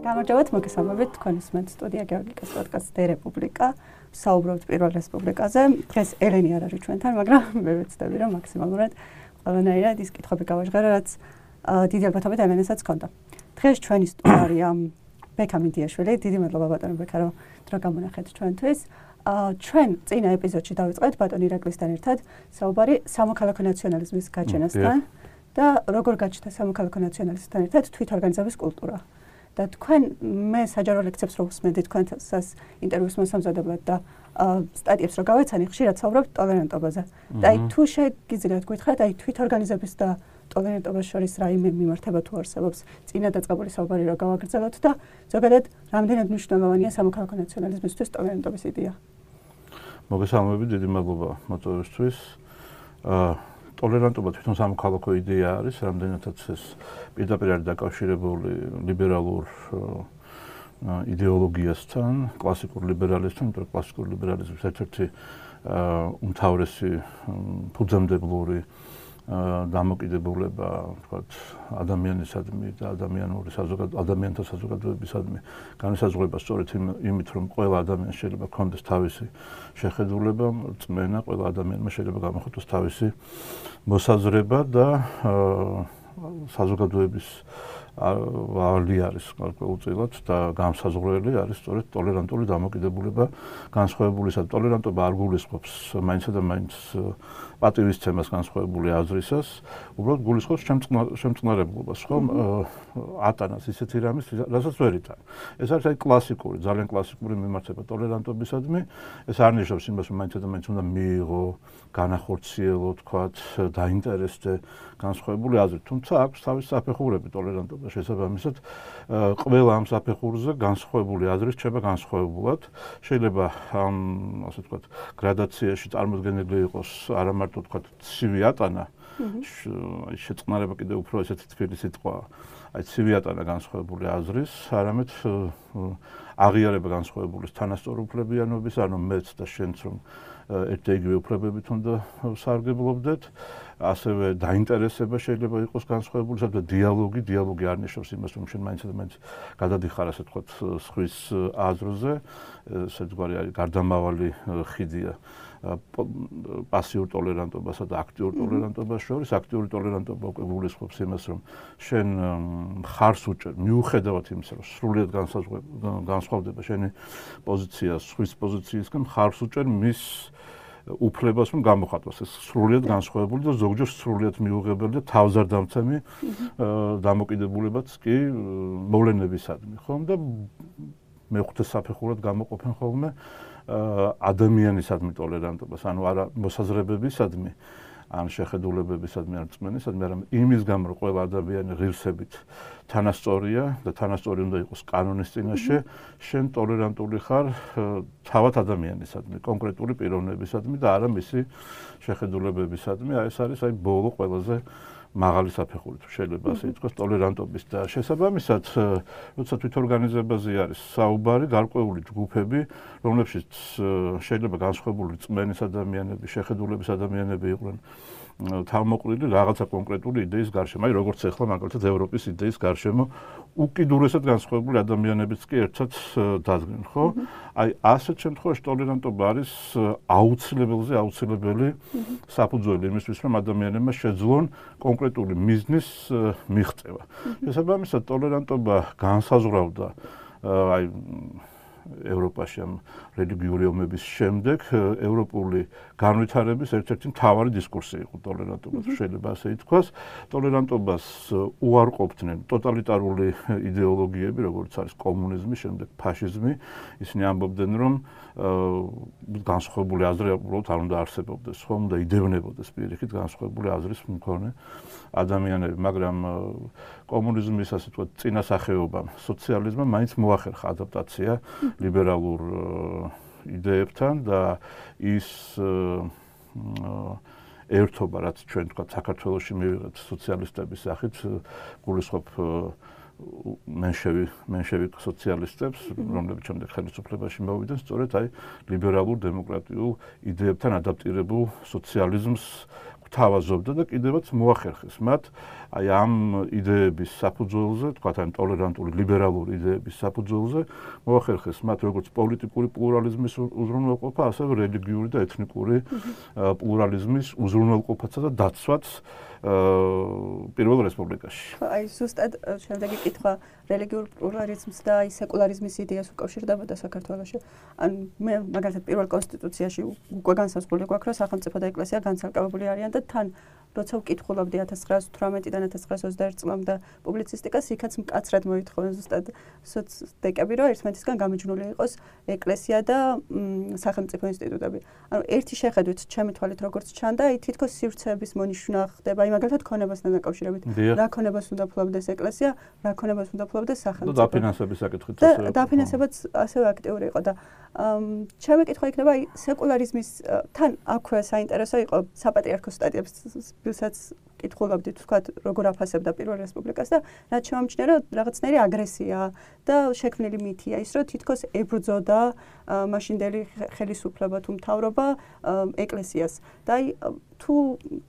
გამარჯობათ, მოგესალმებით თქვენს მე სტუდია გეორგიკას პოდკასტ დე რესპუბლიკა. საუბრობთ პირველ რესპუბლიკაზე. დღეს ელენი არ არის ჩვენთან, მაგრამ მე ვეცდები რომ მაქსიმალურად ყველანაირად ის კითხვები გავაჟღერო, რაც დიდი ალბათობით ელენესაც ჰქონდა. დღეს ჩვენი სტუმარია ბექა მიდიაშვილი. დიდი მადლობა ბატონო ბექა, რომ დრო გამონახეთ ჩვენთვის. ჩვენ წინა ეპიზოდში დავიწყეთ ბატონ ირაკლისთან ერთად საუბარი სამოქალაქო ნაციონალიზმის გაჩენასთან და როგორ გაჩნდა სამოქალაქო ნაციონალიზმთან ერთად თვითორგანიზების კულტურა. და თქვენ მე საჯარო ლექციებს რო ვსმენდი თქვენსას ინტერვიუს მოსამზადებლად და სტატიებს რო გავეცანი, ხშირად საუბრობთ ტოლერანტობაზე. და აი თუ შეგიძლიათ გითხრათ, აი თვითორგანიზების და ტოლერანტობის შორის რა მიმართება თუ არსებობს წინა დაწყებული საუბარი რო გავაგრძელოთ და ზოგადად რამდენად მნიშვნელოვანია სამოქალაქო ნაციონალიზმისთვის ტოლერანტობის იდეა. მოგესალმებით, დიდი მადლობა მოწვევისთვის. ტოლერანტობა თვითონ სამოქალაქო იდეა არის, რამდენადაც ეს პირდაპირ არის დაკავშირებული ლიბერალურ იდეოლოგიასთან, კლასიკურ ლიბერალიზმთან, იმიტომ რომ კლასიკური ლიბერალიზმის ერთ-ერთი უმთავრესი ფუძემდებლური დამოკიდებულება, თქვათ, ადამიანისადმი და ადამიანთა საზოგადოებისადმი განისაზღვრება სწორედ იმით, რომ ყველა ადამიანს შეიძლება ჰქონდეს თავისი შეხედულება, რწმენა, ყველა ადამიანმა შეიძლება გამოხატოს თავისი მოსაზრება და საზოგადოების ვალი არის გარკვეულწილად და განსაზღვრელი არის სწორედ ტოლერანტული დამოკიდებულება განსხვავებულისა. ტოლერანტობა არ გულისხმობს მაინცსა და მაინც პატივისცემას განსხვავებული აზრისას, უბრალოდ გულისხმობს შემწყნარებლობას, ხომ? ატანას ისეთი რამის, რასაც ვერ იტან. ეს არის აი კლასიკური, ძალიან კლასიკური მიმართება ტოლერანტობისადმი. ეს არ ნიშნავს იმას, რომ მაინცსა და მაინც უნდა მიიღო, განახორციელო, თქვათ, დაინტერესდე განსხვავებული აზრით. თუმცა აქვს თავისი საფეხურები ტოლერანტობა. შესაბამისად, ყველა ამ საფეხურზე განსხვავებული აზრი რჩება განსხვავებულად. შეიძლება ამ, ასე ვთქვათ, გრადაციაში წარმოდგენილი იყოს არა მარტო თქვათ ცივი ატანა, შეწყნარება კიდევ უფრო ესეთი თბილი სიტყვაა. აი ცივი ატანა განსხვავებული აზრის, არამედ აღიარება განსხვავებული თანასწორუფლებიანობის, ანუ მეც და შენც რომ ერთ და იგივე უფლებებით უნდა სარგებლობდეთ, ასევე დაინტერესება შეიძლება იყოს განსხვავებული, სადაც დიალოგი არ ნიშნავს იმას, რომ შენ მაინც და მაინც გადადიხარ, ასე ვთქვათ, სხვის აზრზე, საერთგვარი არის გარდამავალი ხიდია პასიურ ტოლერანტობასა და აქტიურ ტოლერანტობას შორის. აქტიური ტოლერანტობა უკვე გულისხმობს იმას, რომ შენ მხარს უჭერ, მიუხედავად იმისა, რომ სრულიად განსხვავდება შენი პოზიცია სხვის პოზიციისგან, მხარს უჭერ მის უფლებას, რომ გამოხატოს ეს სრულიად განსხვავებული და ზოგჯერ სრულიად მიუღებელი და თავზარდამცემი დამოკიდებულებაც კი მოვლენებისადმი, ხომ? და მეხუთე საფეხურად გამოყოფენ ხოლმე ადამიანისადმი ტოლერანტობას, ანუ არა მოსაზრებებისადმი, ან შეხედულებებისადმი, ან რწმენისადმი, არამედ იმის გამო, რომ ყველა ადამიანი ღირსებით თანასწორია და თანასწორი უნდა იყოს კანონის წინაშე, შენ ტოლერანტული ხარ თავად ადამიანისადმი, კონკრეტული პიროვნებისადმი და არა მისი შეხედულებებისადმი. ეს არის აი ბოლო ყველაზე მაღალი საფეხური, თუ შეიძლება ასე ითქვას, ტოლერანტობის და შესაბამისად, როცა თვითორგანიზებაზე არის საუბარი, გარკვეული ჯგუფები, რომლებშიც შეიძლება განსხვავებული რწმენის ადამიანები, შეხედულების ადამიანები იყვნენ თავმოყრილი რაღაცა კონკრეტული იდეის გარშემო, აი როგორც ახლა მაგალითად ევროპის იდეის გარშემო, უკიდურესად განსხვავებული ადამიანებიც კი ერთად დადგნენ, ხო? აი ასეთ შემთხვევაში ტოლერანტობა არის აუცილებელი საფუძველი იმისთვის, რომ ადამიანებმა შეძლონ კონკრეტული მიზნის მიღწევა. შესაბამისად, ტოლერანტობა განსაზღვრავდა აი ევროპაში ამ რელიგიური ომების შემდეგ ევროპული განვითარების ერთ-ერთი მთავარი დისკურსი იყო ტოლერანტობა, შეიძლება ასე ითქვას. ტოლერანტობას უარყოფდნენ ტოტალიტარული იდეოლოგიები, როგორც არის კომუნიზმი, შემდეგ ფაშიზმი. ისინი ამბობდნენ, რომ განსხვავებული აზრი უბრალოდ არ უნდა არსებობდეს, ხომ და იდევნებოდეს პირიქით განსხვავებული აზრის მქონე ადამიანები, მაგრამ კომუნიზმის ასე ვთქვათ წინასახეობამ, სოციალიზმმა მაინც მოახერხა ადაპტაცია ლიბერალურ იდეებთან და ის ერთობა, რაც ჩვენ თქვათ საქართველოში მივიღეთ სოციალისტების სახით, გულისხმობ მენშევიკ სოციალისტებს, რომლებიც შემდეგ ხელისუფლებაში მოვიდნენ, სწორედ აი ლიბერალურ დემოკრატიულ იდეებთან ადაპტირებულ სოციალიზმს გვთავაზობდა და კიდევაც მოახერხეს მათ აი ამ იდეების საფუძველზე, თქვათ ან ტოლერანტული ლიბერალური იდეების საფუძველზე მოახერხეს მათ როგორც პოლიტიკური პლურალიზმის უზრუნველყოფა, ასევე რელიგიური და ეთნიკური პლურალიზმის უზრუნველყოფაცა და დაცვაც პირველ რესპუბლიკაში. აი ზუსტად შემდეგი კითხვა რელიგიურ პლურალიზმს და აი სეკულარიზმის იდეას უკავშირდებოდა საქართველოში. ან მე მაგალითად პირველ კონსტიტუციაში უკვე განსაზღვრული გვაქვს, რომ სახელმწიფო და ეკლესია განცალკევებული არიან და თან როცა ვკითხულობდი 1918-დან 1921 წლამდე პუბლიცისტიკას, იქაც მკაცრად მოითხოვენ ზუსტად სოცდეკები, რომ ერთმანეთისგან გამიჯნული იყოს ეკლესია და სახელმწიფო ინსტიტუტები. ანუ ერთი შეხედვით, ჩემი თვალით როგორც ჩანდა, აი თითქოს სივრცეების მონიშნა ხდება, აი მაგალითად ქონებასთან დაკავშირებით. რა ქონებას უნდა ფლობდეს ეკლესია, რა ქონებას უნდა ფლობდეს სახელმწიფო. და დაფინანსების საკითხით და დაფინანსებაც ასევე აქტიური იყო და ჩემი კითხვა იქნება აი სეკულარიზმის თან აქვე საინტერესო იყო საპატრიარქოს სტატიებს ვისაც კითხულობდით, თქვათ, როგორ აფასებდა პირველ რესპუბლიკას და რაც შემამჩნია, რომ რაღაცნაირი აგრესია და შექმნილი მითია ის, რომ თითქოს ებრძოდა მაშინდელი ხელისუფლება თუ მთავრობა ეკლესიას. და აი თუ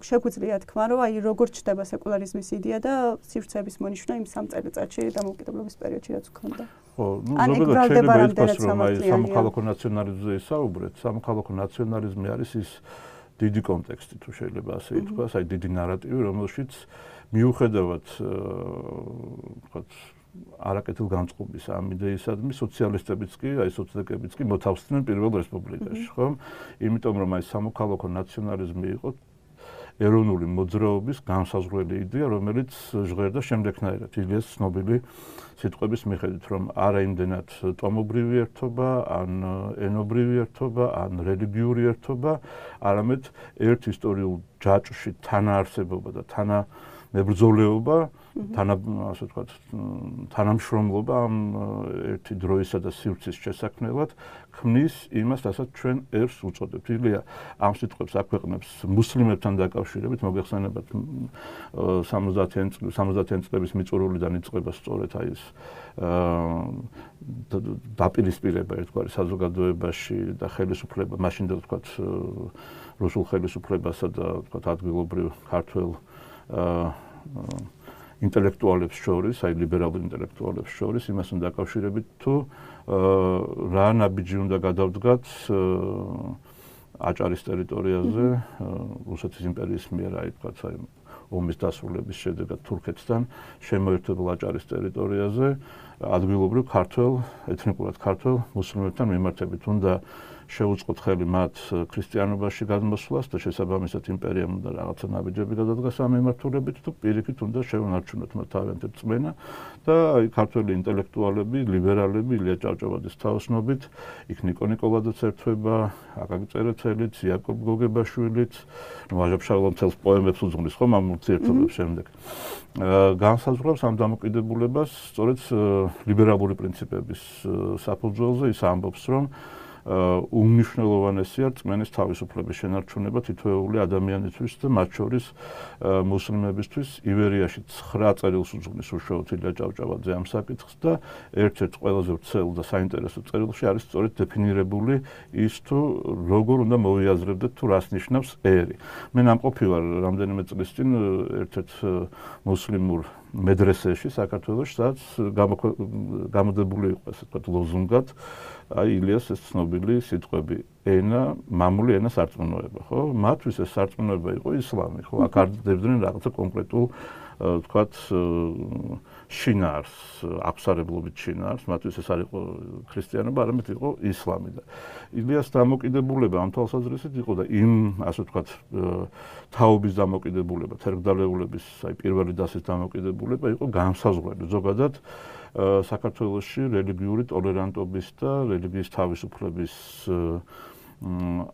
შეგვიძლია თქვა, რომ აი როგორ ჩდება სეკულარიზმის იდეა და სივრცეების მონიშნა იმ 3 წელიწადში დამოუკიდებლობის პერიოდში რაც ჰქონდა. ხო, ну, ზოგადად შეიძლება ითქვას, რომ აი სამოქალაქო ნაციონალიზმზე ისაუბრეთ, სამოქალაქო ნაციონალიზმი არის ის დიდი კონტექსტი თუ შეიძლება ასე ითქვას, აი დიდი ნარატივი, რომელშიც მიუხედავად ვთქვათ არაკეთილგანწყობის ამ იდეისადმი სოციალისტებიც კი, აი სოციალისტებიც კი მოთავსდნენ პირველ რესპუბლიკაში, ხო? იმიტომ რომ აი სამოქალაქო ნაციონალიზმი იყო ეროვნული მოძრაობის განსაზღვრელი იდეა, რომელიც ჟღერდა შემდეგნაირად, ილიას ცნობილი სიტყვების მიხედვით, რომ არა იმდენად ტომობრივი ერთობა, ან ენობრივი ერთობა, ან რელიგიური ერთობა, არამედ ერთ ისტორიულ ჯაჭვში თანაარსებობა და თანამებრძოლეობა, ასე ვთქვათ, თანამშრომლობა ამ ერთი დროისა და სივრცის შესაქმნელად ქმნის იმას, რასაც ჩვენ ერს უწოდებთ. ილია ამ სიტყვებს აქვეყნებს მუსლიმებთან დაკავშირებით, მოგეხსენებათ 70-იან წლების მიწურულიდან იწყება სწორედ აი ეს დაპირისპირება ერთგვარი საზოგადოებაში და ხელისუფლება, მაშინდელ ვთქვათ რუსულ ხელისუფლებასა და ვთქვათ ადგილობრივ ქართველ ინტელექტუალებს შორის, აი ლიბერალურ ინტელექტუალებს შორის, იმასთან დაკავშირებით თუ რა ნაბიჯი უნდა გადავდგათ აჭარის ტერიტორიაზე, რუსეთის იმპერიის მიერ, აი თქვათ, აი ომის დასრულების შედეგად თურქეთთან შემოერთებულ აჭარის ტერიტორიაზე, ადგილობრივ ქართველ, ეთნიკურად ქართველ მუსლიმებთან მიმართებით. უნდა შეუწყოთ ხელი მათ ქრისტიანობაში გადმოსვლას და შესაბამისად იმპერიამ უნდა რაღაცა ნაბიჯები გადადგას ამ მიმართულებით თუ პირიქით უნდა შეუნარჩუნოთ მათ თავიანთი რწმენა და აი ქართველი ინტელექტუალები, ლიბერალები, ილია ჭავჭავაძის თაოსნობით, იქ ნიკო ნიკოლაძეც ერთვება, აკაკი წერეთელიც, იაკობ გოგებაშვილიც, ვაჟა-ფშაველა მთელს პოემებს უძღვნის ხომ ამ ურთიერთობებს შემდეგ. განსაზღვრავს ამ დამოკიდებულებას სწორედ ლიბერალური პრინციპების საფუძველზე ის ამბობს, რომ უმნიშვნელოვანესია რწმენის თავისუფლების შენარჩუნება თითოეული ადამიანისთვის და მათ შორის მუსლიმებისთვის. ივერიაში 9 წერილს უძღვნის უშუალოდ ილია ჭავჭავაძე ამ საკითხს და ერთ-ერთ ყველაზე ვრცელ და საინტერესო წერილში არის სწორედ დეფინირებული ის თუ როგორ უნდა მოვიაზრებდეთ თუ რას ნიშნავს ერი. მე ნამყოფი ვარ რამდენიმე წლის წინ ერთ-ერთ მუსლიმურ მედრესეში საქართველოში, სადაც გამოდებული იყო ესე ვთქვათ ლოზუნგად აი ილიას ეს ცნობილი სიტყვები ენა, მამული ენა სარწმუნოება, ხო? მათთვის ეს სარწმუნოება იყო ისლამი, ხო? აქ არ დებდნენ რაღაცა კონკრეტულ ვთქვათ შინაარს, აფსარებლობით შინაარს, მათთვის ეს არ იყო ქრისტიანობა, არამედ იყო ისლამი და ილიას დამოკიდებულება ამ თვალსაზრისით იყო და იმ ასე ვთქვათ თაობის დამოკიდებულება, თერგდალეულების აი პირველი დასის დამოკიდებულება იყო განსაზღვრელი ზოგადად საქართველოში რელიგიური ტოლერანტობის და რელიგიის თავისუფლების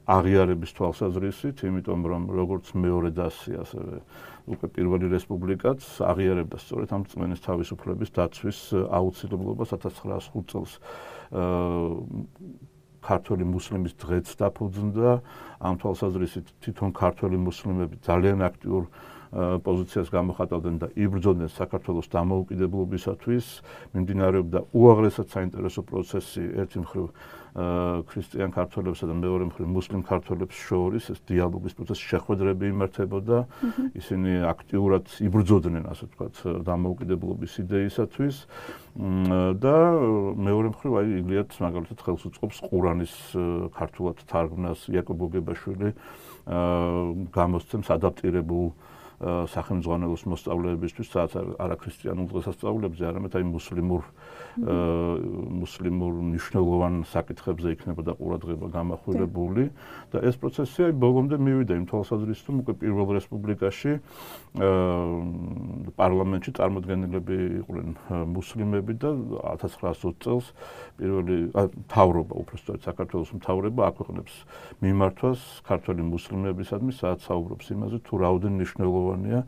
აღიარების თვალსაზრისით, იმიტომ რომ როგორც მეორე დასი, ასევე უკვე პირველი რესპუბლიკაც აღიარებდა სწორედ ამ რწმენის თავისუფლების დაცვის აუცილებლობას 1905 წელს ქართველი მუსლიმის დღეც დაფუძნდა ამ თვალსაზრისით თვითონ ქართველი მუსლიმები ძალიან აქტიურ პოზიციას გამოხატავდნენ და იბრძოდნენ საქართველოს დამოუკიდებლობისათვის, მიმდინარეობდა უაღრესად საინტერესო პროცესი ერთი მხრივ ქრისტიან ქართველებსა და მეორე მხრივ მუსლიმ ქართველებს შორის ეს დიალოგის პროცესი შეხვედრები იმართებოდა, ისინი აქტიურად იბრძოდნენ, ასე ვთქვათ, დამოუკიდებლობის იდეისათვის და მეორე მხრივ აი ილიათ მაგალითად ხელს უწყობს ყურანის ქართულად თარგმნას, იაკობ გოგებაშვილი გამოსცემს ადაპტირებულ სახელმძღვანელოს მოსწავლეებისთვის, სადაც არაქრისტიანულ დღესასწაულებზე, არამედ აი მუსლიმურ მნიშვნელოვან საკითხებზე იქნებოდა ყურადღება გამახვილებული და ეს პროცესი აი ბოლომდე მივიდა იმ თვალსაზრისით, რომ უკვე პირველ რესპუბლიკაში პარლამენტში წარმოდგენილები იყვნენ მუსლიმები და 1920 წელს პირველი მთავრობა, უბრალოდ საქართველოს მთავრობა აქვეყნებს მიმართვას ქართველი მუსლიმებისადმი, სადაც საუბრობს იმაზე, თუ რაოდენ მნიშვნელოვანია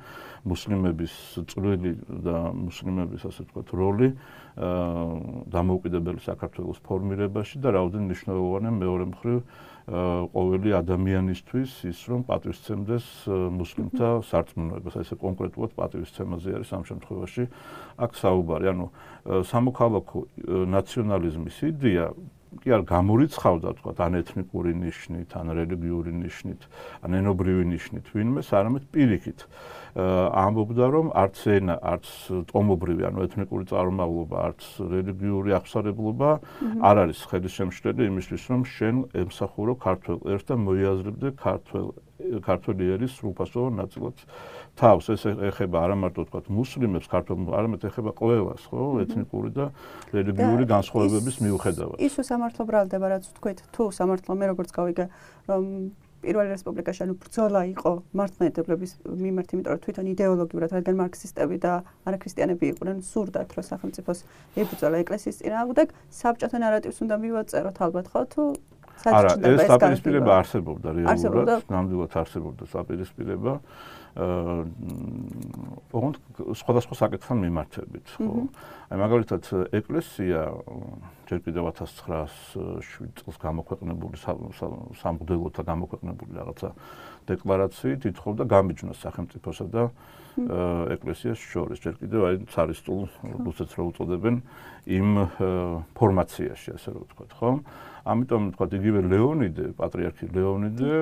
მუსლიმების წვლილი და მუსლიმების, ასე ვთქვათ, როლი დამოუკიდებელი საქართველოს ფორმირებაში და რაოდენ მნიშვნელოვანია მეორე მხრივ ყოველი ადამიანისთვის ის, რომ პატივისცემდეს მუსლიმთა სარწმუნოებას. ესე კონკრეტულად პატივისცემაზე არის ამ შემთხვევაში აქ საუბარი. ანუ სამოქალაქო ნაციონალიზმის იდეა კი არ გამორიცხავდა, თქვათ, ან ეთნიკური ნიშნით, ან რელიგიური ნიშნით, ან ენობრივი ნიშნით ვინმეს, არამედ პირიქით ამბობდა, რომ არც ენა, არც ტომობრივი, ანუ ეთნიკური წარმომავლობა, არც რელიგიური აღსარებლობა არ არის ხელისშემშლელი იმისთვის, რომ შენ ემსახურო ქართველ ერს და მოიაზრებდე ქართველი ერის სრულფასოვან ნაწილად თავს. ეს ეხება არა მარტო თქვათ მუსლიმებს, ქართველებს, არამედ ეხება ყველას, ხო, ეთნიკური და რელიგიური განსხვავებების მიუხედავად. ის სამართლო ბრალდება, რაც თქვით, თუ სამართლო მე როგორც გავიგე, რომ პირველი რესპუბლიკაში ანუ ბრძოლა იყო მართლმადიდებლების მიმართ, იმიტომ რომ თვითონ იდეოლოგიურად, რადგან მარქსისტები და არაქრისტიანები იყვნენ, სურდათ, რომ სახელმწიფოს ებრძოლა ეკლესიის წინააღმდეგ, საბჭოთა ნარატივს უნდა მივაწეროთ ალბათ, ხო, თუ არა, ეს საპირისპირება არსებობდა რეალურად, ნამდვილად არსებობდა საპირისპირება. ოღონდ სხვადასხვა საკითხთან მიმართებით, ხო. აი მაგალითად ეკლესია ჯერ კიდევ 1907 წელს გამოქვეყნებული სამღვდელოთა გამოქვეყნებული რაღაცა დეკლარაციით ითხოვდა გამიჯვნოს სახელმწიფოსა და ეკლესიას შორის. ჯერ კიდევ აი ცარისტულ რუსეთს რო უწოდებენ იმ ფორმაციაში, ასე რომ ვთქვათ, ხო? ამიტომ ვთქვათ, იგივე ლეონიდე, პატრიარქი ლეონიდე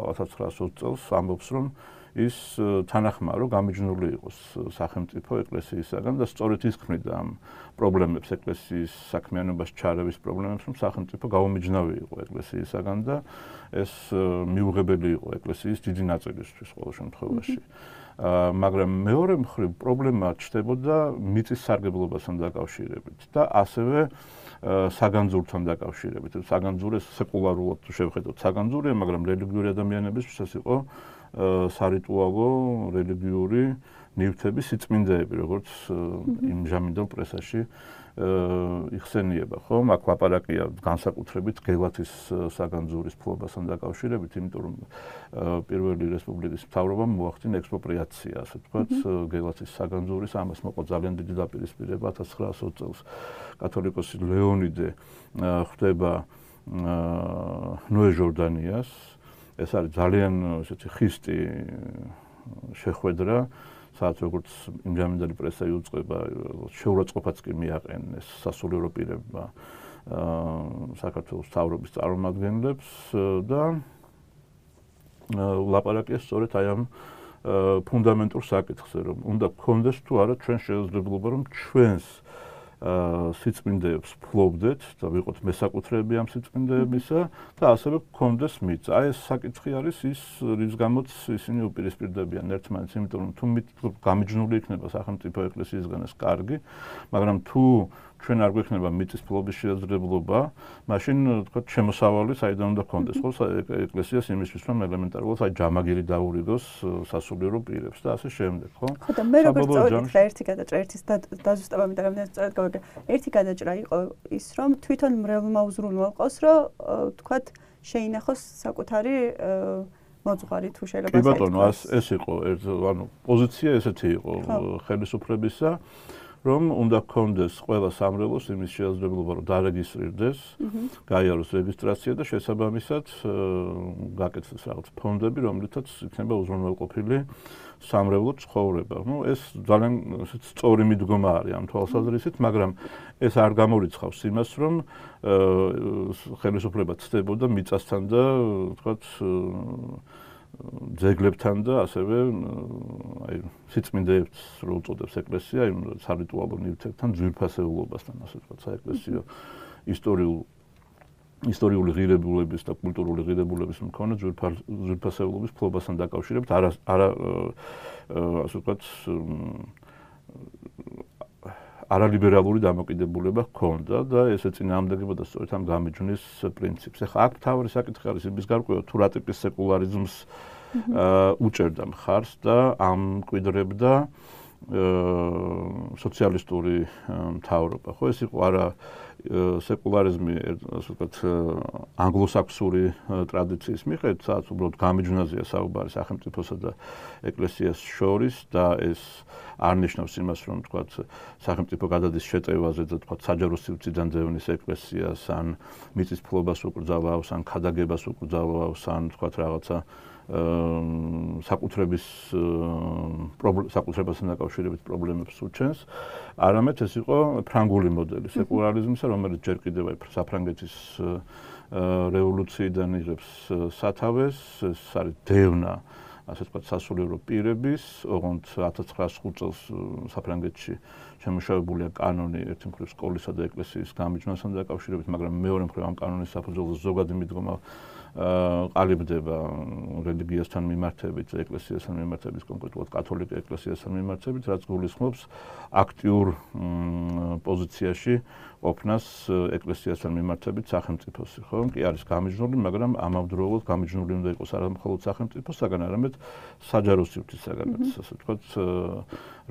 1920 წელს ამბობს, რომ ის თანახმარო გამიჯნული იყოს სახელმწიფო ეკლესიისაგან და სწორედ ის ქმნიდა ამ პრობლემებს, ეკლესიის საქმიანობაში ჩარევის პრობლემებს, რომ სახელმწიფო გაუმიჯნავი იყო ეკლესიისაგან და ეს მიუღებელი იყო ეკლესიის დიდი ნაწილისთვის ყოველ შემთხვევაში. მაგრამ მეორე მხრივ პრობლემა ჩნდებოდა მიწის სარგებლობასთან დაკავშირებით და ასევე საგანძურთან დაკავშირებით. საგანძურეს სეკულარულად თუ შევხედოთ საგანძურია, მაგრამ რელიგიური ადამიანებისთვის ეს იყო სარიტუალო რელიგიური ნივთების სიწმინდეები, როგორც იმჟამინდელ პრესაში იხსენიება, ხო? აქ ლაპარაკია განსაკუთრებით გელათის საგანძურის ფლობასთან დაკავშირებით, იმიტომ რომ პირველი რესპუბლიკის მთავრობამ მოახდინა ექსპროპრიაცია, ასე ვთქვათ, გელათის საგანძურის, ამას მოყვა ძალიან დიდი დაპირისპირება 1920 წელს. კათოლიკოსი ლეონიდე ხვდება ნოე ჟორდანიას. ეს არის ძალიან ესეთი ხისტი შეხვედრა, სადაც როგორც იმჟამინდელი პრესა იუწყება, შეურაცხყოფაც კი მიაყენეს სასულიერო პირებმა საქართველოს მთავრობის წარმომადგენლებს და ლაპარაკია სწორედ აი ამ ფუნდამენტურ საკითხზე, რომ უნდა გქონდეს თუ არა ჩვენ შესაძლებლობა, რომ ჩვენს სიწმინდეებს ფლობდეთ და ვიყოთ მესაკუთრეები ამ სიწმინდეებისა და ასევე გქონდეს მიწა. აი ეს საკითხი არის ის, რის გამოც ისინი უპირისპირდებიან ერთმანეთს, იმიტომ რომ თუ გამიჯნული იქნება სახელმწიფო ეკლესიისგან ეს კარგი, მაგრამ თუ ჩვენ არ გვექნება მიწის ფლობის შესაძლებლობა, მაშინ თქვა შემოსავალი საიდან უნდა გქონდეს, ხო, ეკლესიას იმისთვის, რომ ელემენტარულად აი ჯამაგირი დაურიგოს სასულიერო პირებს და ასე შემდეგ, ხო? ხო და მე როგორც წავედი და ერთი გადაჭრა, ერთის დაზუსტება მინდა რომ სწორად გავიგე. ერთი გადაჭრა იყო ის, რომ თვითონ მრევლმა უზრუნველყოს, რომ თქვა შეინახოს საკუთარი მოძღვარი თუ შეიძლება კი ბატონო, ეს იყო, ანუ პოზიცია ესეთი იყო ხელისუფლებისა, რომ უნდა გქონდეს ყველა სამრევლოს იმის შესაძლებლობა, რომ დარეგისტრირდეს, გაიაროს რეგისტრაცია და შესაბამისად გაკეთდეს რაღაც ფონდები, რომლითაც იქნება უზრუნველყოფილი სამრევლო ცხოვრება. ეს ძალიან სწორი მიდგომა არის ამ თვალსაზრისით, მაგრამ ეს არ გამორიცხავს იმას, რომ ხელისუფლება ცდებოდა მიწასთან და თქვათ ძეგლებთან და ასევე სიწმინდეებს რო უწოდებს ეკლესია, იმ სარიტუალო ნივთებთან ძვირფასეულობასთან, ასე ვთქვათ, საეკლესიო ისტორიული ღირებულების და კულტურული ღირებულების მქონე ძვირფასეულობის ფლობასთან დაკავშირებით არა ასე ვთქვათ არალიბერალური დამოკიდებულება ჰქონდა და ესე წინააღმდეგებოდა სწორედ ამ გამიჯვნის პრინციპს. ახლა აქ თავი საკითხი არის იმის გარკვევა, თუ რა ტიპის სეკულარიზმს უჭერდა მხარს და ამკვიდრებდა სოციალისტური მთავრობა. ხო, ეს იყო არა სეკულარიზმი, ასე ვთქვათ, ანგლოსაქსური ტრადიციის მიხედვით, სადაც უბრალოდ გამიჯვნაზეა საუბარი სახელმწიფოსა და ეკლესიას შორის და ეს არ ნიშნავს იმას, რომ თქვათ, სახელმწიფო გადადის შეტევაზე და თქვათ, საჯარო სივრციდან ძევნის ეკლესიას, ან მიწის ფლობას უკრძალავს, ან ქადაგებას უკრძალავს, ან თქვათ, რაღაცა საკუთრებასთან დაკავშირებით პრობლემებს უჩენს, არამედ ეს იყო ფრანგული მოდელი სეკულარიზმისა, რომელიც ჯერ კიდევ საფრანგეთის რევოლუციიდან იღებს სათავეს, ეს არის დევნა, ასე ვთქვათ, სასულიერო პირების, ოღონდ 1905 წელს საფრანგეთში შემუშავებულია კანონი ერთი მხრივ სკოლისა და ეკლესიის გამიჯვნასთან დაკავშირებით, მაგრამ მეორე მხრივ ამ კანონის საფუძველზე ზოგადი მიდგომა ყალიბდება რელიგიასთან მიმართებით, ეკლესიასთან მიმართებით, კონკრეტულად კათოლიკე ეკლესიასთან მიმართებით, რაც გულისხმობს აქტიურ პოზიციაში ყოფნას ეკლესიასთან მიმართებით სახელმწიფოსი, ხო? კი არის გამიჯნული, მაგრამ ამავდროულად გამიჯნული უნდა იყოს არა მხოლოდ სახელმწიფოსაგან, არამედ საჯარო სივრცისაგანაც, ასე ვთქვათ,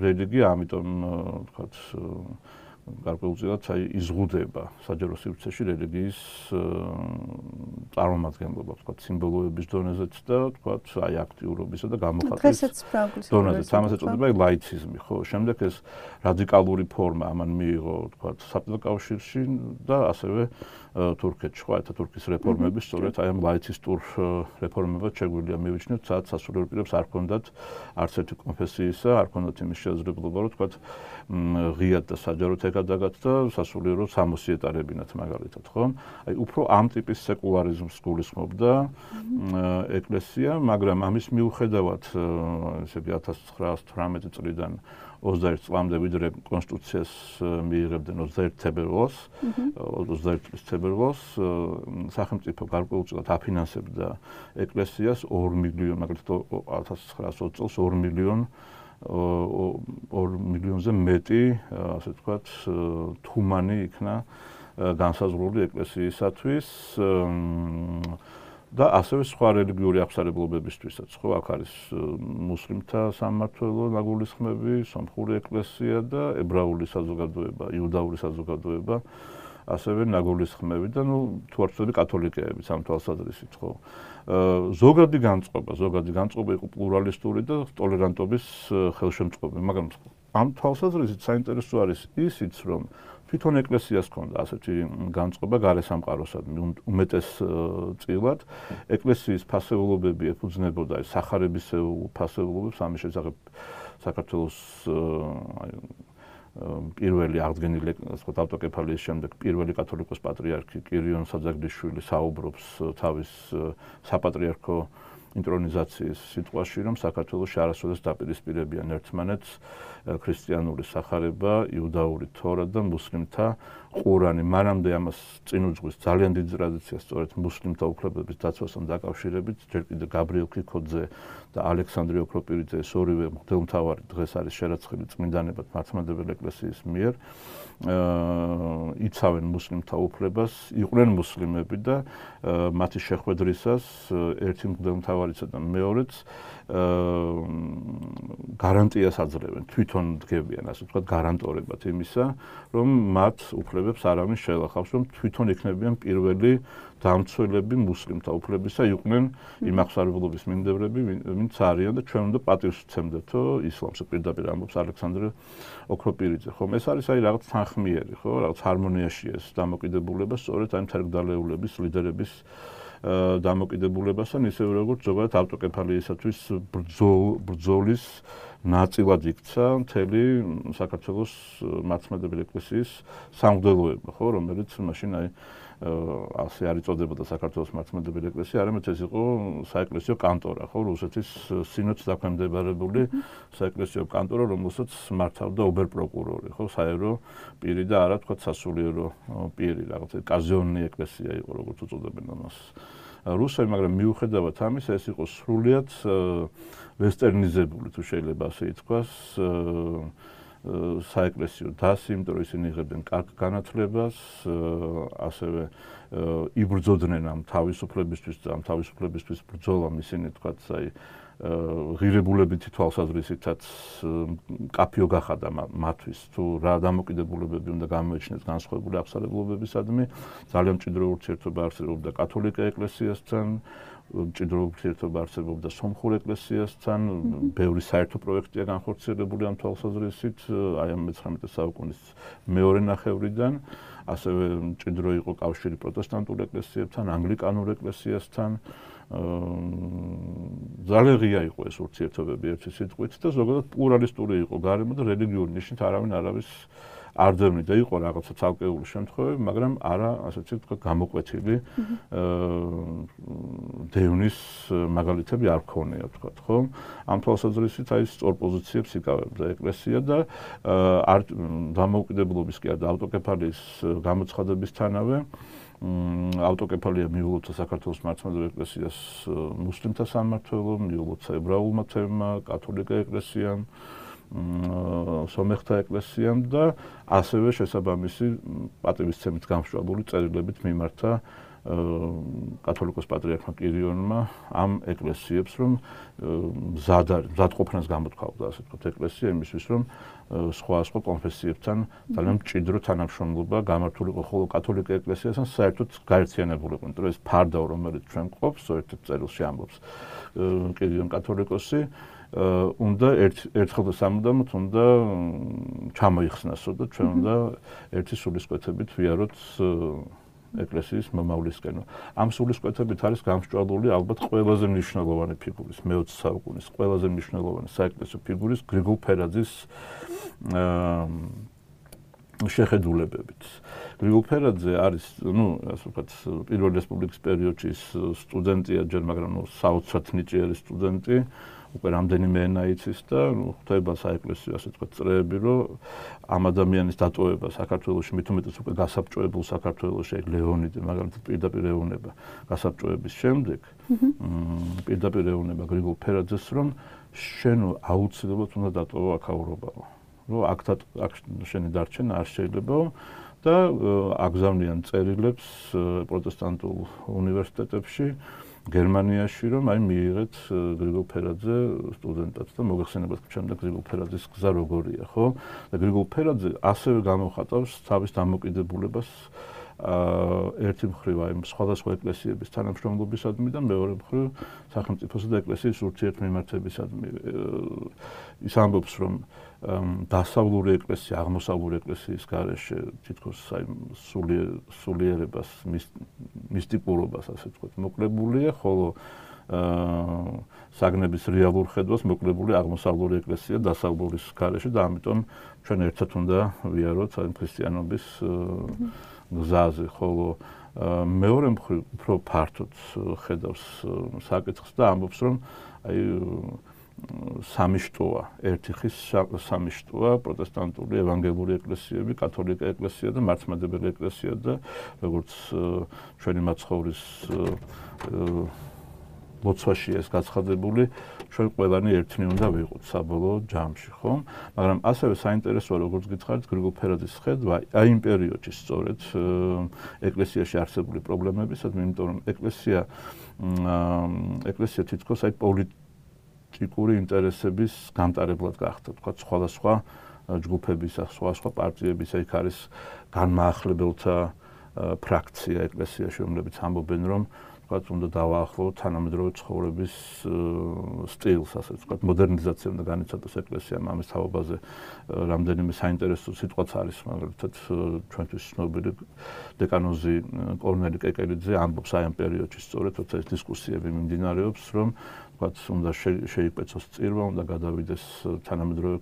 რელიგია, ამიტომ ვთქვათ, გარკვეულწილად იზღუდება საჯარო სივრცეში რელიგიის წარმომადგენლობა, ვთქვათ, სიმბოლოების დონეზეც და ვთქვათ, აქტიურობისა და გამოხატვის დონეზეც. ამას ეწოდება ლაიციზმი, ხო? შემდეგ ეს რადიკალური ფორმა ამან მიიღო, ვთქვათ, საბჭოთა კავშირში და ასევე თურქეთში, ხო, თურქეთის რეფორმები სწორედ აი ამ ლაიცისტურ რეფორმებად შეგვიძლია მივიჩნიოთ, სადაც სასულიერო პირებს არ ჰქონდათ არც ერთი კონფესიისა, არ ჰქონდათ იმის შესაძლებლობა, რომ ვთქვათ, ღიად და საჯაროდ ეკადაგათ და სასულიერო სამოსი ეტარებინათ მაგალითად, ხო? აი უფრო ამ ტიპის სეკულარიზმს გულისხმობდა ეკლესია, მაგრამ ამის მიუხედავად, ესე იგი 1918 წლიდან 21 წლამდე ვიდრე კონსტიტუციას მიიღებდნენ 21 თებერვალს, 21 წლის თებერვალს სახელმწიფო გარკვეულწილად აფინანსებდა ეკლესიას 2 მილიონი, მაგალითად 1920 წელს 2 მილიონზე მეტი, ასე ვთქვათ, თუმანი იქნა განსაზღვრული ეკლესიისათვის და ასევე სხვა რელიგიური აღსარებლობებისთვისაც, ხო, აქ არის მუსლიმთა სამმართველო ნაგულისხმები, სომხური ეკლესია და ებრაული საზოგადოება, იუდაური საზოგადოება, ასევე ნაგულისხმები და თუ არ ვცდები კათოლიკეებიც ამ თვალსაზრისით, ხო. ზოგადი განწყობა იყო პლურალისტური და ტოლერანტობის ხელშემწყობი, მაგრამ ამ თვალსაზრისით საინტერესო არის ისიც, რომ თვითონ ეკლესიას ჰქონდა ასეთი განწყობა გარესამყაროსადმი უმეტეს წილად. ეკლესიის ფასეულობები ეფუძნებოდა სახარებისეულ ფასეულობებს, ამის შესახებ საქართველოს პირველი აღდგენილი ავტოკეფალიის შემდეგ პირველი კათოლიკოს პატრიარქი კირიონ საძაგდიშვილი საუბრობს თავის საპატრიარქო ინტრონიზაციის სიტყვაში, რომ საქართველოში არასოდეს დაპირისპირებიან ერთმანეთს ქრისტიანული სახარება, იუდაური თორა და მუსლიმთა ყურანი. მანამდე ამას წინ უძღვის ძალიან დიდი ტრადიცია სწორედ მუსლიმთა უფლებების დაცვასთან დაკავშირებით, ჯერ კიდევ გაბრიელ ქიქოძე და ალექსანდრე ოქროპირიძე, ეს ორივე მღვდელმთავარი დღეს არის შერაცხილი წმინდანებად მართლმადიდებელი ეკლესიის მიერ. იცავენ მუსლიმთა უფლებას, იყვნენ მუსლიმები და მათი შეხვედრისას ერთი მღვდელმთავარისა და მეორეც გარანტიას აძლევენ თვითონ თვითონ დგებიან, ასე ვთქვათ, გარანტორებად იმისა, რომ მათ უფლებებს არავინ შეელახავს, რომ თვითონ იქნებიან პირველი დამცველები მუსლიმთა უფლებისა, იყვნენ იმ აღმსარებლობის მიმდევრები, ვინც არიან და ჩვენ უნდა პატივს ვცემდეთო ისლამს, პირდაპირ ამბობს ალექსანდრე ოქროპირიძე. ხომ ეს არის აი რაღაც თანხმიერი, ხო, რაღაც ჰარმონიაშია ეს დამოკიდებულება, სწორედ აი თერგდალეულების ლიდერების დამოკიდებულებასთან, ისევე როგორც ზოგადად ავტოკეფალიისათვის ბრძოლის ნაწილად იქცა მთელი საქართველოს მართლმადიდებელი ეკლესიის სამღვდელოება, ხო, რომელიც მაშინ აი ასე არ იწოდებოდა საქართველოს მართლმადიდებელი ეკლესია, არამედ ეს იყო საეკლესიო კანტორა, ხო, რუსეთის სინოდს დაქვემდებარებული საეკლესიო კანტორა, რომელსაც მართავდა ობერპროკურორი, ხო, საერო პირი და არა თქვა სასულიერო პირი, რაღაც კაზიონი ეკლესია იყო, როგორც უწოდებენ ამას. რუსები, მაგრამ მიუხედავად ამისა, ეს იყო სრულიად ვესტერნიზებული, თუ შეიძლება ასე ითქვას, საეკლესიო დასი, იმიტომ რომ ისინი იღებდნენ კარგ განათლებას, ასევე იბრძოდნენ ამ თავისუფლებისთვის და ამ თავისუფლებისთვის ბრძოლამ ისინი თქვათ, აი ღირებულებითი თვალსაზრისითაც კაფიო გახადა მათთვის, თუ რა დამოკიდებულებები უნდა გამოეჩინეს განსხვავებული აღმსარებლობებისადმი, ძალიან მჭიდრო ურთიერთობა არსებობდა კათოლიკე ეკლესიასთან, მჭიდრო ურთიერთობა არსებობდა სომხურ ეკლესიასთან, ბევრი საერთო პროექტია განხორციელებული ამ თვალსაზრისით, აი ამ 19 საუკუნის მეორე ნახევრიდან, ასევე მჭიდრო იყო კავშირი პროტესტანტულ ეკლესიებთან, ანგლიკანურ ეკლესიასთან, ძალიან ღია იყო ეს ურთიერთობები ერთი სიტყვით და ზოგადად პლურალისტური იყო გარემო და რელიგიური ნიშნით არავინ არავის არ დევნიდა, იყო რაღაცა ცალკეული შემთხვევები, მაგრამ არა ასეთი ვთქვათ გამოკვეთილი დევნის მაგალითები არ ქონია ვთქვათ, ხო? ამ თვალსაზრისით აი სწორ პოზიციებს იკავებდა ეკლესია და არ დამოუკიდებლობის კი არა ავტოკეფალიის გამოცხადებისთანავე ავტოკეფალია მიულოცა საქართველოს მართლმადიდებელი ეკლესიას მუსლიმთა სამმართველო, მიულოცა ებრაულმა თემმა, კათოლიკე ეკლესიამ, სომეხთა ეკლესიამ და ასევე შესაბამისი პატივისცემით გამსჭვალული წერილებით მიმართა კათოლიკოს პატრიარქმა კირიონმა ამ ეკლესიებს, რომ მზადყოფნას გამოთქვავდა, ასე ვთქვათ, ეკლესია იმისთვის, რომ სხვა კონფესიებთან ძალიან მჭიდრო თანამშრომლობა გამართულიყო, ხოლო კათოლიკე ეკლესიასთან საერთოდ გაერთიანებულიყო, იმიტომ რომ ეს ფარდაო, რომელიც ჩვენ გვყავს, ერთ-ერთ წერილში ამბობს კირიონ კათოლიკოსი, უნდა ერთხელ და სამუდამოდ უნდა ჩამოიხსნასო და ჩვენ უნდა ერთი სულისკვეთებით ვიაროთ ეკლესიის მომავლისკენ. ამ სულისკვეთებით არის გამსჭვალული ალბათ ყველაზე მნიშვნელოვანი ფიგურის, მე-20 საუკუნის ყველაზე მნიშვნელოვანი საეკლესიო ფიგურის გრიგოლ ფერაძის შეხედულებებით. გრიგოლ ფერაძე არის, ასე ვთქვათ, პირველი რესპუბლიკის პერიოდში სტუდენტია ჯერ, მაგრამ საოცრად ნიჭიერი სტუდენტი. უკვე რამდენიმე ენა იცის და ხვდება საეკლესიო ასე ვთქვათ წრეები, რომ ამ ადამიანის დატოვება საქართველოში, მით უმეტეს უკვე გასაბჭოებულ საქართველოში, ეგ ლეონიდე, მაგალითად პირდაპირ ეუბნება გასაბჭოების შემდეგ, პირდაპირ ეუბნება გრიგოლ ფერაძეს, რომ შენ აუცილებლად უნდა დატოვო აქაურობაო, რომ აქ შენი დარჩენა არ შეიძლებაო და აგზავნიან წერილებს პროტესტანტულ უნივერსიტეტებში გერმანიაში, რომ აი მიიღეთ გრიგოლ ფერაძე სტუდენტად და მოგეხსენებათ ჩემ და გრიგოლ ფერაძის გზა როგორია, ხო? და გრიგოლ ფერაძე ასევე გამოხატავს თავის დამოკიდებულებას ერთი მხრივ აი სხვადასხვა ეკლესიების თანამშრომლობისადმი და მეორე მხრივ სახელმწიფოსა და ეკლესიის ურთიერთმიმართებისადმი. ის ამბობს, რომ დასავლური ეკლესია აღმოსავლური ეკლესიის გარეშე თითქოს აი სულიერებას, მისტიკურობას ასე ვთქვათ, მოკლებულია, ხოლო საგნების რეალურ ხედვას მოკლებული აღმოსავლური ეკლესია დასავლურის გარეშე და ამიტომ ჩვენ ერთად უნდა ვიაროთ აი ქრისტიანობის გზაზე, ხოლო მეორე მხრივ უფრო ფართოდ ხედავს საკითხს და ამბობს, რომ აი სამი შტოა, ერთი ხის სამი შტოა, პროტესტანტული ევანგელური ეკლესიები, კათოლიკე ეკლესია და მართლმადიდებელი ეკლესია და როგორც ჩვენი მაცხოვრის ლოცვაში ეს გაცხადებული, ჩვენ ყველანი ერთნი უნდა ვიყოთ საბოლოო ჯამში, ხომ? მაგრამ ასევე საინტერესოა, როგორც გითხარით, გრიგოლ ფერაძის ხედვა აი იმ პერიოდში სწორედ ეკლესიაში არსებული პრობლემებისადმი, იმიტომ რომ ეკლესია თითქოს აი პოლიტიკური ინტერესების გამტარებლად გახდა, თქვა სხვადასხვა ჯგუფების, სხვადასხვა პარტიების, იქ არის განმაახლებელთა ფრაქცია ეკლესიაში, რომლებიც ამბობენ, რომ თქვა უნდა დავაახლოვოთ თანამედროვე ცხოვრების სტილს, ასე ვთქვათ, მოდერნიზაცია უნდა განიცადოს ეკლესიამ ამის თაობაზე. რამდენიმე საინტერესო სიტყვაც არის, მაგალითად, ჩვენთვის ცნობილი დეკანოზი კორნელი კეკელიძე ამბობს აი ამ პერიოდში სწორედ, როცა ეს დისკუსიები მიმდინარეობს, რომ თქვათ, უნდა შეიკვეცოს წირვა, უნდა გადავიდეს თანამედროვე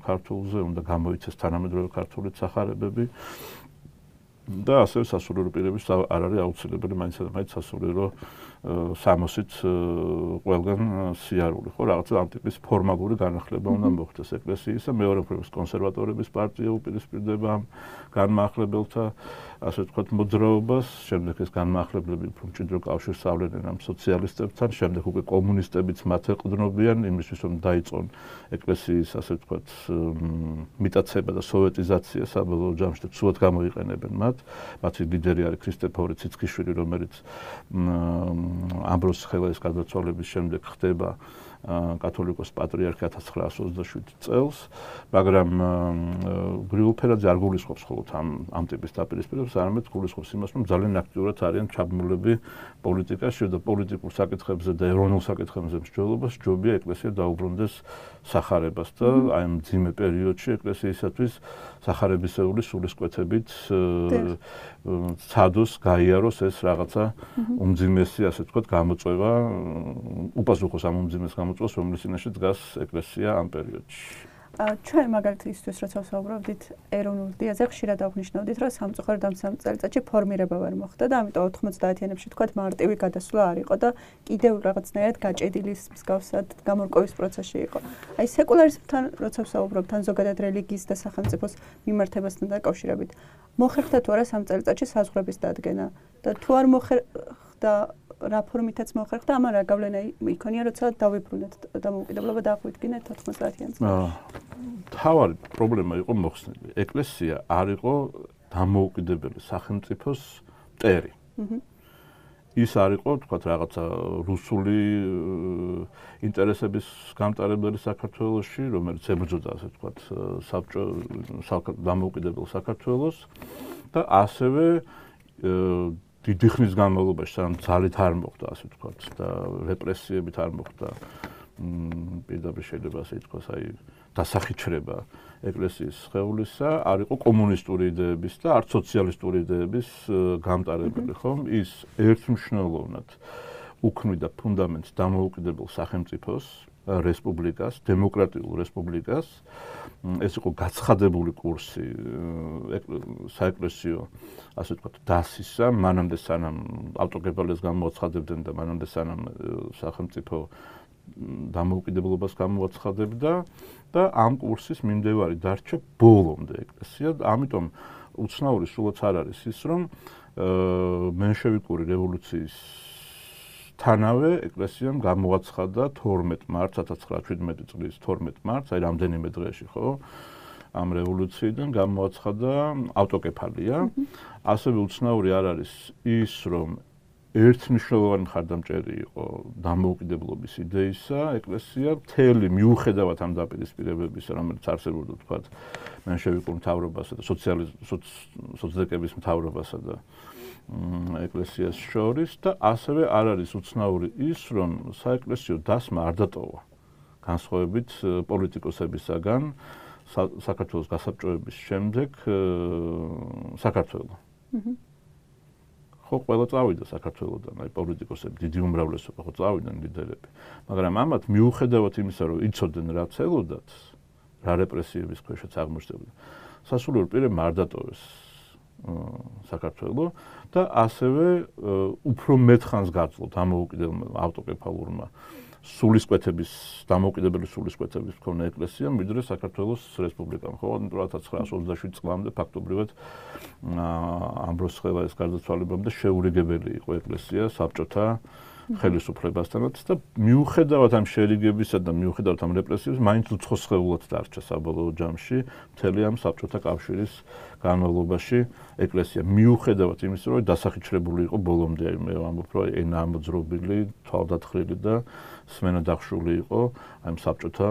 ქართულზე, უნდა გამოიცეს თანამედროვე ქართული სახარებები. და ასევე სასულიერო პირების არ არის აუცილებელი მაინც სასულიერო სამოსით ყველგან სიარული, ხო, რაღაცა ამ ტიპის ფორმალური განახლება უნდა მოხდეს ეკლესიისა, მეორე მხრივ კონსერვატორების პარტია უპირისპირდება განმაახლებელთა, ასე ვთქვათ, მოძრაობას, შემდეგ ეს განმაახლებლები უფრო მჭიდრო კავშირს ავლენენ ამ სოციალისტებთან, შემდეგ უკვე კომუნისტებიც მათ ეყრდნობიან იმისთვის, რომ დაიწყონ ეკლესიის, ასე ვთქვათ, მიტაცება და სოვეტიზაცია საბოლოო ჯამში და ცუდად გამოიყენებენ მათ. მათი ლიდერი არის ქრისტეფორე ციცქიშვილი, რომელიც ამბროს ხელაის გარდაცვალების შემდეგ ხდება კათოლიკოს პატრიარქი 1927 წელს, მაგრამ გრიგოლ ფერაძე არ გულისხმობს მხოლოდ ამ ტიპის დაპირისპირებას, არამედ გულისხმობს იმას, რომ ძალიან აქტიურად არიან ჩაბმულები პოლიტიკაში და პოლიტიკურ საკითხებზე და ეროვნულ საკითხებზე მსჯელობას ჯობია ეკლესია დაუბრუნდეს სახარებას და აი ამ ძიმე პერიოდში ეკლესიისათვის სახარებისეული სულისკვეთებით ცადოს, გაიაროს ეს რაღაცა უმძიმესი, ასე ვთქვათ, გამოწვევა, უპასუხოს ამ უმძიმეს გამოწვევას, რომლის წინაშე დგას ეკლესია ამ პერიოდში. ჩვენ მაგალითად ისთვის როცა ვსაუბრობდით ეროვნულ დიაზე, ხშირად აღნიშნავდით, რომ სამწუხაროდ ამ წელიწადში ფორმირება ვერ მოხდა და ამიტომ 90-იანებში თქვათ მარტივი გადასვლა არ იყო და კიდევ რაღაცნაირად გაჭედილის მსგავსად გამორკვევის პროცესში იყო. აი სეკულარიზმთან როცა ვსაუბრობთ, ან ზოგადად რელიგიის და სახელმწიფოს მიმართებასთან დაკავშირებით, მოხერხდა თუ არა სამ წელიწადში საზღვრების დადგენა და თუ არ მოხერხდა რა ფორმითაც მოხერხდა, ამან რა გავლენა იქონია, როცა დავიბრუნეთ დამოუკიდებლობა და აღვიდგინეთ 90-იან წლებში. თავარი პრობლემა იყო მოხსნილი. ეკლესია არ იყო დამოუკიდებელი სახელმწიფოს მტერი. ის არ იყო, თქვათ, რაღაცა რუსული ინტერესების გამტარებელი საქართველოში, რომელიც ებრძოდა, ასე ვთქვათ, დამოუკიდებელ საქართველოს და ასევე დიდი ხნის განმავლობაში, სანამ ძალით არ მოხდა, ასე ვთქვათ, და რეპრესიებით არ მოხდა, პირდაპირ შეიძლება ასე ითქვას, აი დასახიჩრება ეკლესიის სხეულისა, არ იყო კომუნისტური იდეების და არც სოციალისტური იდეების გამტარებელი, ხომ? ის ერთმნიშვნელოვნად უქმნიდა ფუნდამენტს დამოუკიდებელ სახელმწიფოს, რესპუბლიკას, დემოკრატიულ რესპუბლიკას. ეს იყო გაცხადებული კურსი საეკლესიო, ასე ვთქვათ, დასისა, მანამდე სანამ ავტოკეფალიას გამოაცხადებდნენ და მანამდე სანამ სახელმწიფო დამოუკიდებლობას გამოაცხადებდა და ამ კურსის მიმდევარი დარჩა ბოლომდე ეკლესია. ამიტომ უცნაური სულაც არ არის ის, რომ მენშევიკური რევოლუციის თანავე ეკლესიამ გამოაცხადა 12 მარტს 1917 წლის 12 მარტს, აი რამდენიმე დღეში, ხო? ამ რევოლუციიდან გამოაცხადა ავტოკეფალია. ასევე უცნაური არ არის ის, რომ ერთმნიშვნელოვანი მხარდამჭერი იყო დამოუკიდებლობის იდეისა ეკლესია, მთელი მიუხედავად ამ დაპირისპირებებისა, რომელიც არსებობდა, თქვათ, მენშევიკურ მთავრობასა და სოცდეკების მთავრობასა და ეკლესიას შორის და ასევე არ არის უცნაური ის, რომ საეკლესიო დასმა არ დატოვა განსხვავებით პოლიტიკოსებისაგან საქართველოს გასაბჭოების შემდეგ საქართველო. ხო, ყველა წავიდა საქართველოდან, აი პოლიტიკოსები, დიდი უმრავლესობა ხო წავიდნენ ლიდერები. მაგრამ ამათ მიუხედავად იმისა, რომ იცოდნენ რა ცელოდათ, რა რეპრესიების ქვეშაც აღმოჩნდებოდა, სასულიერო პირებმა არ დატოვეს საქართველო და ასევე უფრო მეტ ხანს გაძლო დამოუკიდებელ ავტოკეფალურმა დამოუკიდებელი სულისკვეთების მქონე ეკლესიამ, ვიდრე საქართველოს რესპუბლიკამ. ხო, 1927 წლამდე ფაქტობრივად ამბროს ხელაის გარდაცვალებამდე შეურიგებელი იყო ეკლესია საბჭოთა ხელისუფლებასთანაც და მიუხედავად ამ შერიგებისა და მიუხედავად ამ რეპრესიებს მაინც უცხოსხეულად დარჩა საბოლოო ჯამში მთელი ამ საბჭოთა კავშირის განმავლობაში ეკლესია მიუხედავად იმისა, რომ დასახიჩრებული იყო ბოლომდე, მე ვამბობ, რომ ენა ამოძრობილი, თვალდათხრილი და სმენა დახშული იყო ამ საბჭოთა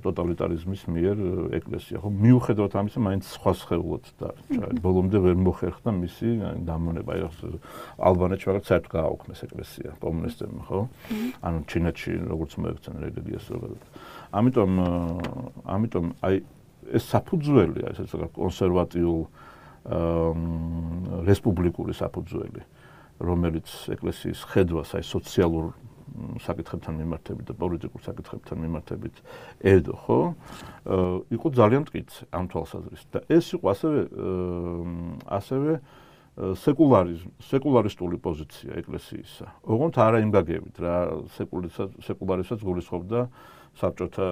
ტოტალიტარიზმის მიერ ეკლესია. ხო, მიუხედავად ამისა, მაინც სხვა სხეულად დარჩა. ბოლომდე ვერ მოხერხდა მისი დამონება. ალბანეთში რაღაც საერთოდ გააუქმეს ეკლესია კომუნისტებმა, ხო? ანუ ჩინეთში როგორც მოექცნენ რელიგიას ზოგადად. ამიტომ აი ეს საფუძველია, ესეც რაღაც კონსერვატიულ რესპუბლიკური საფუძველი, რომელიც ეკლესიის ხედვას აი სოციალურ საკითხებთან მიმართებით და პოლიტიკურ საკითხებთან მიმართებით ედო, ხო? იყო ძალიან მტკიცე ამ თვალსაზრისით და ეს იყო ასევე სეკულარისტული პოზიცია ეკლესიისა. ოღონდ არა იმ გაგებით, რა სეკულარისაც გულისხმობდა საბჭოთა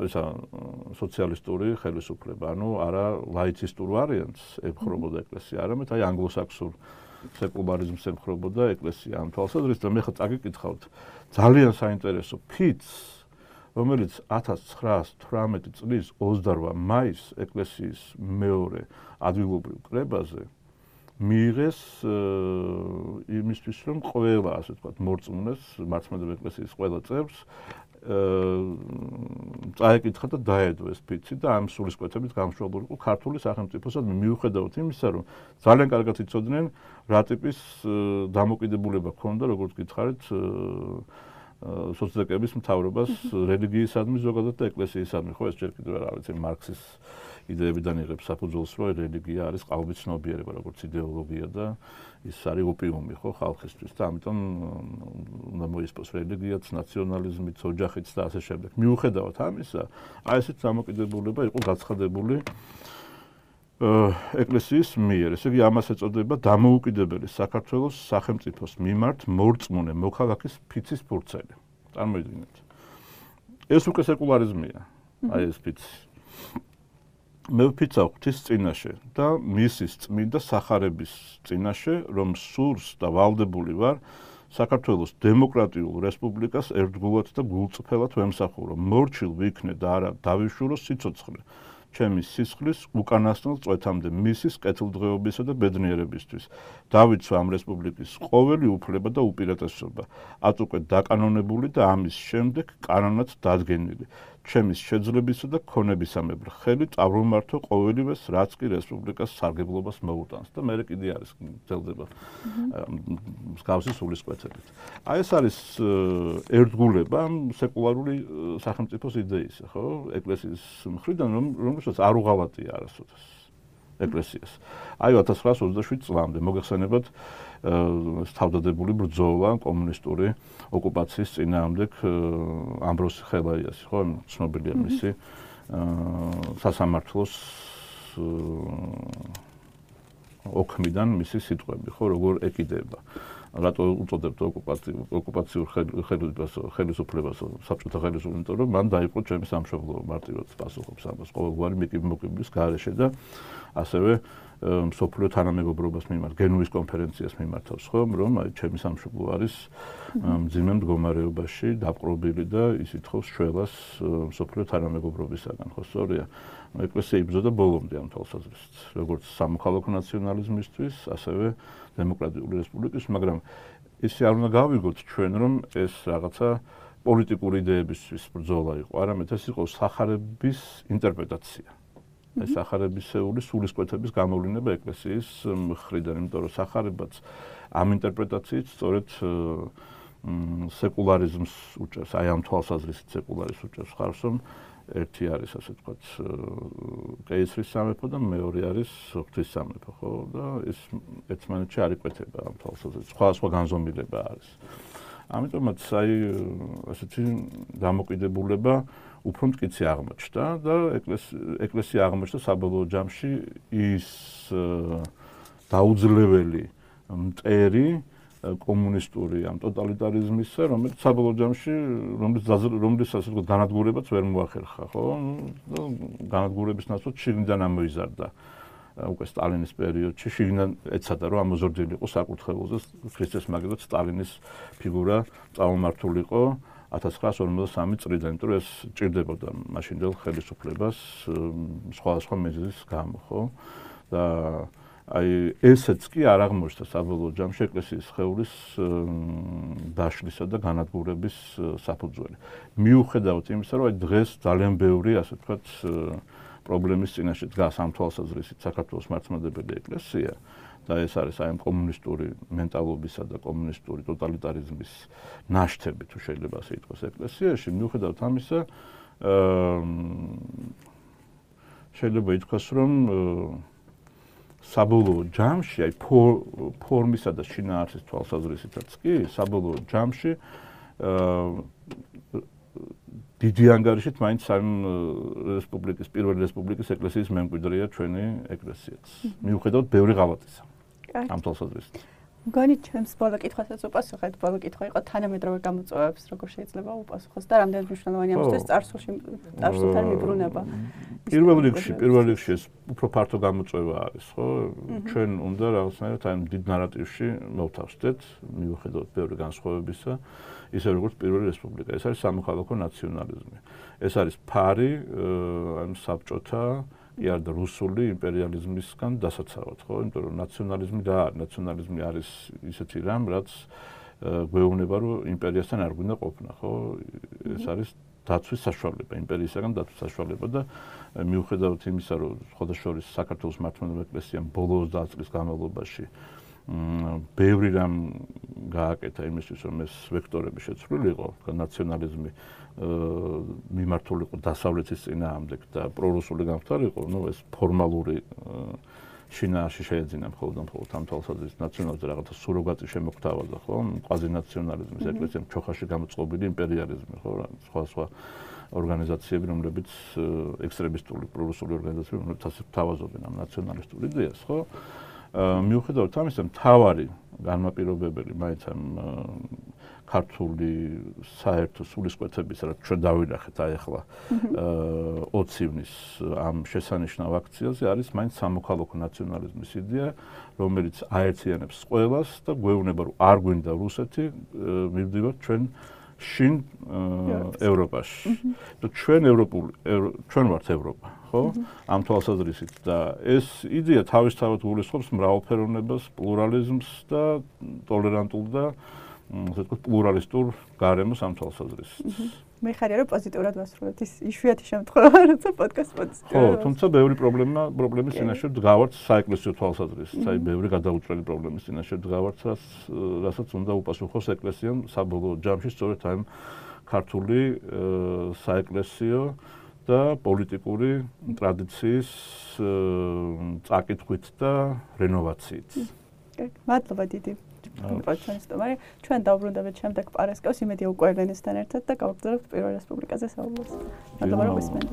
სოციალისტური ხელისუფლება, ანუ არა ლაიცისტურ ვარიანტს ემხრობოდა ეკლესია, არამედ აი ანგლოსაქსურ სეკულარიზმს ემხრობოდა ეკლესია ამ თვალსაზრისით და მე ხა წაგიკითხავთ ძალიან საინტერესო ფიცს, რომელიც 1918 წლის 28 მაისს ეკლესიის მეორე ადგილობრივ კრებაზე მიიღეს იმისთვის, რომ ყველა, ასე ვთქვათ, მორწმუნეს, მართლმადიდებლური ეკლესიის ყველა წევრს წაეკითხა და დაედო ეს ფიცი და ამ სულისკვეთებით გამშვალდური იყო ქართული სახელმწიფოსადმი, მიუხედავად იმისა, რომ ძალიან კარგად იცოდნენ რა ტიპის დამოკიდებულება ჰქონდა, როგორც გითხარით, სოციალისტების მთავრობას რელიგიისადმი ზოგადად და ეკლესიისადმი. ხო, ეს ჯერ კიდევ არ არის მარქსის იდეებიდან იღებს საფუძველს, რომ რელიგია არის ყალბის ცნობიერება, როგორც იდეოლოგია და ის არის ოპიუმი, ხო, ხალხისთვის და ამიტომ უნდა მოისპოს რელიგიაც, ნაციონალიზმიც, ოჯახიც და ასე შემდეგ. მიუხედავად ამისა, აი ესეთ დამოკიდებულება იყო გაცხადებული ეკლესიის მიერ. ესე იგი, ამას ეწოდება დამოუკიდებელი საქართველოს სახელმწიფოს მიმართ მორწმუნე მოქალაქის ფიცის ფურცელი. წარმოიდგინეთ. ეს უკვე სეკულარიზმია, აი ეს ფიცი. მე ვფიცავ ღვთის წინაშე და მისის წმინდა სახარების წინაშე, რომ სურს და ვალდებული ვარ საქართველოს დემოკრატიულ რესპუბლიკას ერთგულად და გულწრფელად ვემსახურო. მორჩილ ვიქნე და არა დავიშურო სიცოცხლე. ჩემი სისხლის უკანასკნელ წვეთამდე მისის კეთილდღეობისა და ბედნიერებისთვის. დავიცვა ამ რესპუბლიკის ყოველი უფლება და უპირატესობა, ატუკე დაკანონებული და ამის შემდეგ კანონად დადგენილი. ჩემის შეძლებისა და ქონებისამებრ ხელი წავრომართო ყოველივეს, რაც კი რესპუბლიკას სარგებლობას მოუტანს და მე კიდე არის გრძელდება მსგავსი სულისკვეთებით. აი ეს არის ერთგულება სეკულარული სახელმწიფოს იდეისა, ხო? ეკლესიის მხრიდან, რომელსაც არ უღალატია არასოდეს ეკლესიას. აი 1927 წლამდე მოგეხსენებათ თავდადებული ბრძოლა კომუნისტური ოკუპაციის წინააღმდეგ ამბროსი ხელაიასი, ხო, ცნობილია მისი სასამართლოს ოქმიდან მისი სიტყვები, ხო, როგორ ეკიდება. რატო უწოდებთ ოკუპაციურ ხელისუფლებას საბჭოთა ხელისუფლებას, იმიტომ რომ მან დაიპყრო ჩემი სამშობლო, მარტივად პასუხობს ამას ყოველგვარი მოკიბლის გარეშე და ასევე მსოფლიო თანამეგობრობას მიმართ, გენუის კონფერენციას მიმართავს, ხო, რომ აი ჩემი სამშობლო არის მძიმე მდგომარეობაში, დაპყრობილი და ის ითხოვს შველას მსოფლიო თანამეგობრობისაგან, ხო, სწორია. ეკლესია იბრძოდა ბოლომდე ამ თვალსაზრისით, როგორც სამოქალაქო ნაციონალიზმისთვის, ასევე დემოკრატიული რესპუბლიკის, მაგრამ ისე არ უნდა გავიგოთ ჩვენ, რომ ეს რაღაცა პოლიტიკური იდეებისთვის ბრძოლა იყო, არამედ ეს იყო სახარების ინტერპრეტაცია. ეს სახარებისეული სულისკვეთების გამოვლინება ეკლესიის მხრიდან, იმიტომ რომ სახარებაც ამ ინტერპრეტაციით სწორედ სეკულარიზმს უჭერს, აი ამ თვალსაზრისით სეკულარიზმს უჭერს ხარს, რომ ერთი არის, ასე ვთქვათ, კეისრის სამეფო და მეორე არის ღვთის სამეფო, ხო? და ეს ერთმანეთში არ იკვეთება ამ თვალსაზრისით. სხვა განზომილება არის. ამიტომაც აი ასეთი დამოკიდებულება უფრო მტკიცე აღმოჩნდა და ეკლესია აღმოჩნდა საბოლოო ჯამში ის დაუძლეველი მტერი კომუნისტური ამ ტოტალიტარიზმისა, რომელიც საბოლოო ჯამში რომლის ასე ვთქვათ განადგურებაც ვერ მოახერხა, ხო? და განადგურების ნაცვლად შიგნიდან ამოიზარდა უკვე სტალინის პერიოდში შიგნიდან ეცადა რომ ამოზრდილი იყო საკურთხეველზე ქრისტეს მაგიდოთ სტალინის ფიგურა წამომართულიყო 1953 წლიდან, იმიტომ რომ ეს ჭირდებოდა მაშინდელ ხელისუფლებას სხვადასხვა მიზეზის გამო, ხო? და აი ესეც კი არ აღმოჩნდა საბოლოო ჯამში ეკლესიის სხეულის დაშლისა და განადგურების საფუძველი. მიუხედავად იმისა, რომ აი დღეს ძალიან ბევრი, ასე ვთქვათ, პრობლემის წინაშე დგას ამ თვალსაზრისით საქართველოს მართლმადიდებელი ეკლესია და ეს არის აი კომუნისტური მენტალობისა და კომუნისტური ტოტალიტარიზმის ნაშთები, თუ შეიძლება ასე ითქვას ეკლესიაში, მიუხედავად ამისა, შეიძლება ითქვას, რომ საბოლოო ჯამში, აი ფორმისა და შინაარსის თვალსაზრისითაც კი, საბოლოო ჯამში დიდი ანგარიშით მაინც ამ რესპუბლიკის, პირველი რესპუბლიკის ეკლესიის მემკვიდრეა ჩვენი ეკლესიაც. მიუხედავად ბევრი ღალატისა. ამ თვალსაზრისით. მგონი ჩემს ბოლო კითხვასაც უპასუხეთ, ბოლო კითხვა იყო თანამედროვე გამოწვევებს როგორ შეიძლება უპასუხოს და რამდენად მნიშვნელოვანია ამისთვის წარსულთან მიბრუნება. პირველ რიგში ეს უფრო ფართო გამოწვევა არის, ხო? ჩვენ უნდა რაღაცნაირად აი დიდ ნარატივში მოვთავსდეთ, მიუხედავად ბევრი განსხვავებისა, ისე როგორც პირველი რესპუბლიკა. ეს არის სამოქალაქო ნაციონალიზმი. ეს არის ფარი აი საბჭოთა იარ და რუსული იმპერიალიზმისგან დასაცავად, ხო? იმიტომ რომ ნაციონალიზმი რა არის? ნაციონალიზმი არის ისეთი რამ, რაც გვეუბნება, რომ იმპერიასთან არ გვინდა ყოფნა, ხო? ეს არის დაცვის საშუალება, იმპერიისაგან დაცვის საშუალება და მიუხედავად იმისა, რომ ხოდაშორის საქართველოს მართლმადიდებელი ეკლესიამ ბოლო 30 წლის განმავლობაში ბევრი რამ გააკეთა იმისთვის, რომ ეს ვექტორები შეცვლილიყო, ნაციონალიზმი მიმართულიყო დასავლეთის წინააღმდეგ და პრორუსული გამხდარიყო, ნუ ეს ფორმალური შინაარსი შეეძინა მხოლოდ ამ თვალსაზრისით ნაციონალიზმს რაღაცა სუროგატი შემოგთავაზა, ხო? კვაზინაციონალიზმის ეკლესიამ ჩოხაში გამოწყობილი იმპერიალიზმი, ხო? სხვა ორგანიზაციები, რომლებიც ექსტრემისტული პრორუსული ორგანიზაციები, რომლებიც ასე თავაზობენ ამ ნაციონალისტურ იდეას, ხო? მიუხედავად ამისა, მთავარი განმაპირობებელი მაინც ამ ქართული საერთო სულისკვეთების, რაც ჩვენ დავინახეთ აი ახლა 20 ივნის ამ შესანიშნავ აქციაზე არის მაინც სამოქალაქო ნაციონალიზმის იდეა, რომელიც აერთიანებს ყველას და გვეუბნება, რომ არ გვინდა რუსეთი, მივდივართ ჩვენ შინ ევროპაში. ჩვენ ვართ ევროპა, ხო? ამ თვალსაზრისით და ეს იდეა თავისთავად გულისხმობს მრავალფეროვნებას, პლურალიზმს და ტოლერანტულ და ასე ვთქვათ, პლურალისტურ გარემოს ამ თვალსაზრისით. მე ხარია რომ პოზიტიურად ვასრულებთ ის იშვიათი შემთხვევა, როცა პოდკასტ პოზიტიურად. ხო, თუმცა ბევრი პრობლემის წინაშე დგავართ საეკლესიო თვალსაზრისით, აი ბევრი გადაუჭრელი პრობლემის წინაშე დგავართ, რასაც უნდა უპასუხოს ეკლესიამ საბოლოო ჯამში სწორედ ამ ქართული საეკლესიო და პოლიტიკური ტრადიციის წაკითხვით და რენოვაციით. მადლობა დიდი. ჩვენ დავბრუნდებით შემდეგ პარასკევს იმედია უკვე ელენესთან ერთად და გავაგრძელებთ პირველ რესპუბლიკაზე საუბრს. მადლობა რომ გისმენთ.